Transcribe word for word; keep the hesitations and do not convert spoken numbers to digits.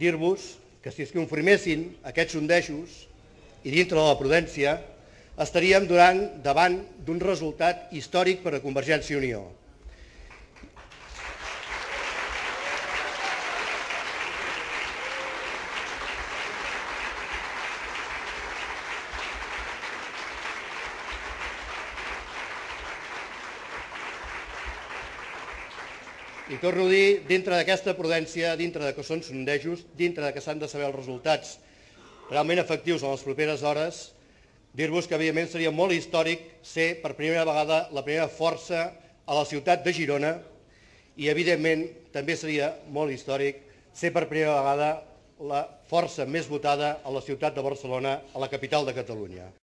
dir-vos que si es confirmessin aquests sondejos i dintre de la prudència, estaríem donant davant d'un resultat històric per a Convergència i Unió. I torno a dir, dintre d'aquesta prudència, dintre que són sondejos, dintre que s'han de saber els resultats realment efectius en les properes hores, dir-vos que, evidentment, seria molt històric ser per primera vegada la primera força a la ciutat de Girona i, evidentment, també seria molt històric ser per primera vegada la força més votada a la ciutat de Barcelona, a la capital de Catalunya.